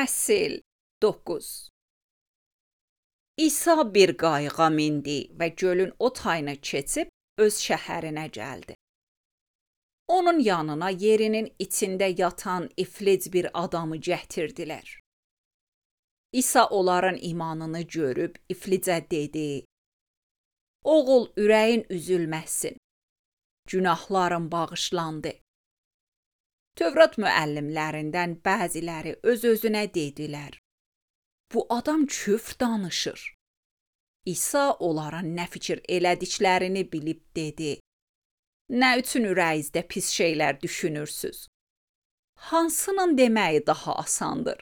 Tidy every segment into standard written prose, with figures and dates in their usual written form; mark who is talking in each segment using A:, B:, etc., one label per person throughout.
A: Fəsil 9. İsa bir qayığa mindi və gölün o tayını keçib öz şəhərinə gəldi. Onun yanına yerinin içində yatan iflic bir adamı gətirdilər. İsa onların imanını görüb iflicə dedi: "Oğul, ürəyin üzülməsin. Günahların bağışlandı." Tövrat müəllimlərindən bəziləri öz-özünə dedilər: "Bu adam küfr danışır." İsa onların nə fikir elədiklərini bilib dedi: "Nə üçün ürəyinizdə pis şeylər düşünürsüz? Hansının deməyi daha asandır?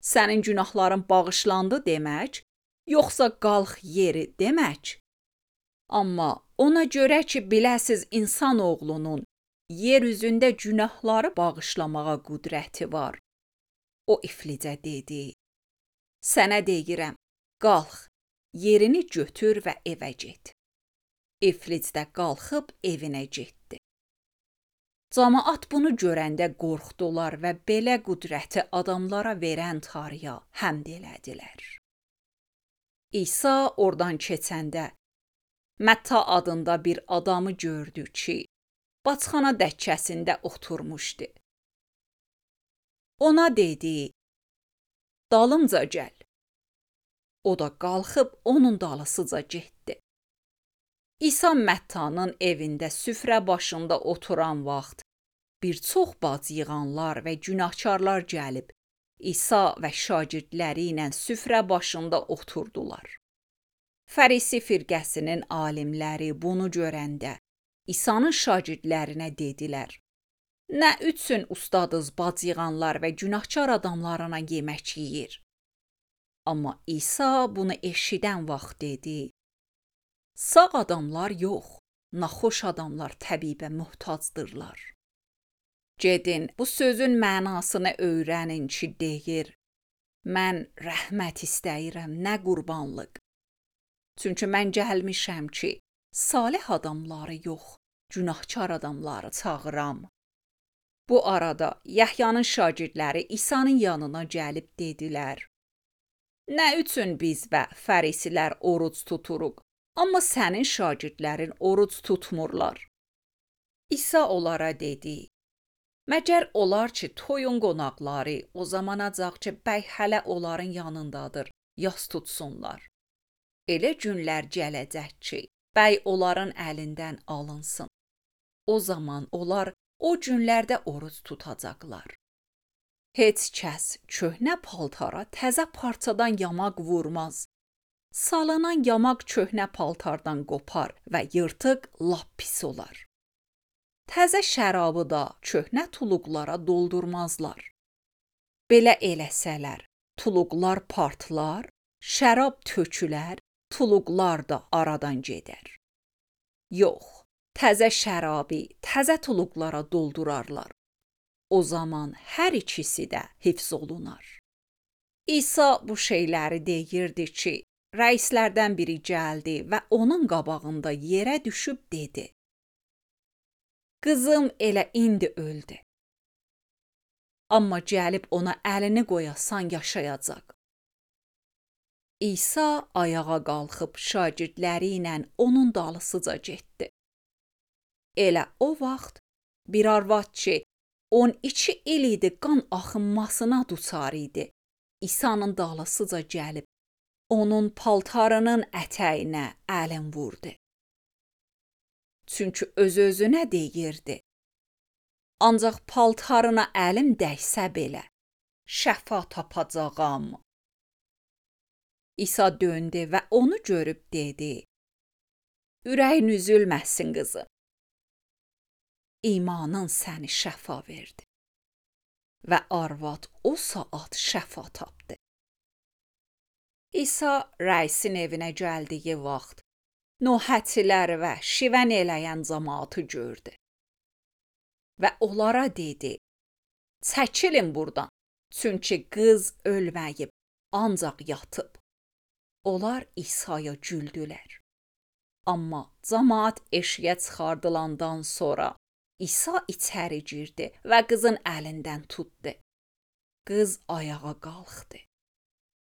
A: Sənin günahların bağışlandı demək, yoxsa qalx yeri demək? Amma ona görə ki, biləsiz insan oğlunun yer üzündə günahları bağışlamağa qüdrəti var." O iflicə dedi: "Sənə deyirəm, qalx, yerini götür və evə get." İflic də qalxıb evinə getdi. Camaat bunu görəndə qorxdular və belə qüdrəti adamlara verən Tanrıya həmd elədilər. İsa oradan keçəndə Mətta adında bir adamı gördü ki, bacxana dəkkəsində oturmuşdu. Ona dedi: "Dalımca gəl." O da qalxıb onun dalısıca getdi. İsa Məttanın evində süfrə başında oturan vaxt bir çox bacıyığanlar və günahkarlar gəlib İsa və şagirdləri ilə süfrə başında oturdular. Fərisi firqəsinin alimləri bunu görəndə İsa'nın şagirdlərinə dedilər: "Nə üçün ustadınız bacıyığanlar və günahkar adamlarına yemək yeyir?" Amma İsa bunu eşidən vaxt dedi: "Sağ adamlar yox, naxoş adamlar təbibə möhtacdırlar." Gedin, bu sözün mənasını öyrənin ki, deyir: "Mən rəhmət istəyirəm, nə qurbanlıq. Çünki mən gəlmişəm ki, salih adamları yox, günahkar adamları çağıram." Bu arada Yəhyanın şagirdləri İsa'nın yanına gəlib dedilər: "Nə üçün biz və fərisilər oruc tuturuq, amma sənin şagirdlərin oruc tutmurlar?" İsa onlara dedi: "Məgər olar ki, toyun qonaqları o zamanacaq ki, bəy hələ onların yanındadır, yas tutsunlar? Elə günlər gələcək ki, bəy onların əlindən alınsın. O zaman onlar o günlərdə oruc tutacaqlar. Heç kəs köhnə paltara təzə parçadan yamaq vurmaz. Salanan yamaq köhnə paltardan qopar və yırtıq lap pis olar. Təzə şərabı da köhnə tuluqlara doldurmazlar. Belə eləsələr, tuluqlar partlar, şərab tökülər, tuluqlar da aradan gedər. Yox, təzə şərabı təzə tuluqlara doldurarlar. O zaman hər ikisi də hifz olunar." İsa bu şeyləri deyirdi ki, rəislərdən biri gəldi və onun qabağında yerə düşüb dedi: "Qızım elə indi öldü. Amma gəlib ona əlini qoyasan yaşayacaq." İsa ayağa qalxıb şagirdləri ilə onun dalısıca getdi. Elə o vaxt bir arvad ki, 12 il idi qan axınmasına duçar idi, İsa'nın dalısıca gəlib onun paltarının ətəyinə əlin vurdu. Çünki öz-özünə deyirdi: "Ancaq paltarına əlim dəysə belə, şəfa tapacağam." İsa döndü və onu görüb dedi: "Ürəyin üzülməsin qızım. İmanın səni şəfa verdi." Və arvad o saat şəfa tapdı. İsa rəisin evinə gəldiyi vaxt nöhətçilər və şivən eləyən cəmaatı gördü. Və onlara dedi: "Çəkilin buradan, çünki qız ölməyib, ancaq yatıb." Onlar İsa'ya güldülər. Amma cəmaat eşiyə çıxardılandan sonra İsa içəri girdi və qızın əlindən tutdu. Qız ayağa qalxdı.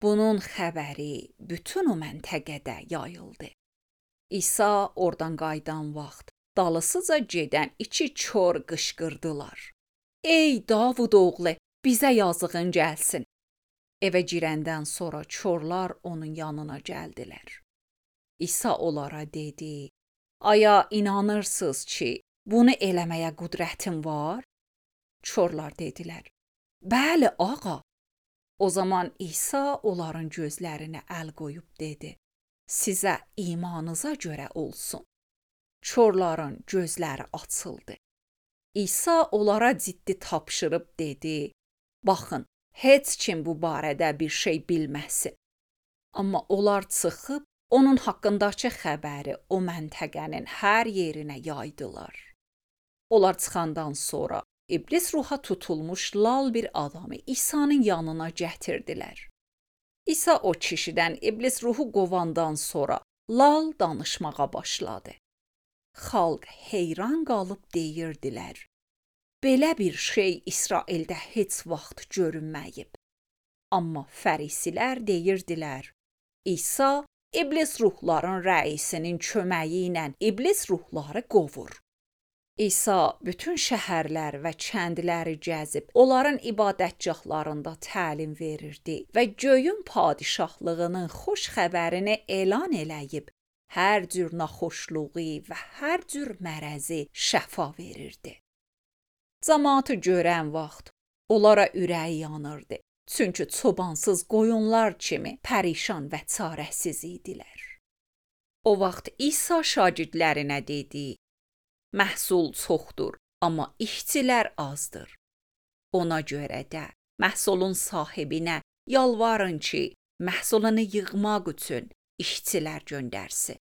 A: Bunun xəbəri bütün o məntəqədə yayıldı. İsa oradan qayıdan vaxt dalısıca gedən iki kor qışqırdılar. Ey Davud oğlu, bizə yazığın gəlsin. Evə girəndən sonra korlar onun yanına gəldilər. İsa onlara dedi, aya inanırsınız ki, bunu eləməyə qüdrətim var? Korlar dedilər, bəli ağa. O zaman İsa onların gözlərinə əl qoyub dedi, sizə imanınıza görə olsun. Korların gözləri açıldı. İsa onlara ciddi tapşırıb dedi, baxın, heç kim bu barədə bir şey bilməsin. Amma onlar çıxıb, onun haqqındakı xəbəri o məntəqənin hər yerinə yaydılar. Onlar çıxandan sonra İblis ruha tutulmuş lal bir adamı İsa'nın yanına gətirdilər. İsa o kişidən İblis ruhu qovandan sonra lal danışmağa başladı. Xalq heyran qalıb deyirdilər, belə bir şey İsraildə heç vaxt görünməyib. Amma fərisilər deyirdilər, İsa İblis ruhların rəisinin köməyi ilə İblis ruhları qovur. İsa bütün şəhərlər və kəndləri gəzib, onların ibadətgahlarında təlim verirdi və göyün padişahlığının xoş xəbərini elan eləyib, hər cür naxoşluğu və hər cür mərəzi şəfa verirdi. Cəmaatı görən vaxt onlara ürəyi yanırdı, çünki çobansız qoyunlar kimi pərişan və çarəsiz idilər. O vaxt İsa şagirdlərinə dedi, məhsul çoxdur, amma işçilər azdır. Ona görə də məhsulun sahibinə yalvarın ki, məhsulunu yığmaq üçün işçilər göndərsin.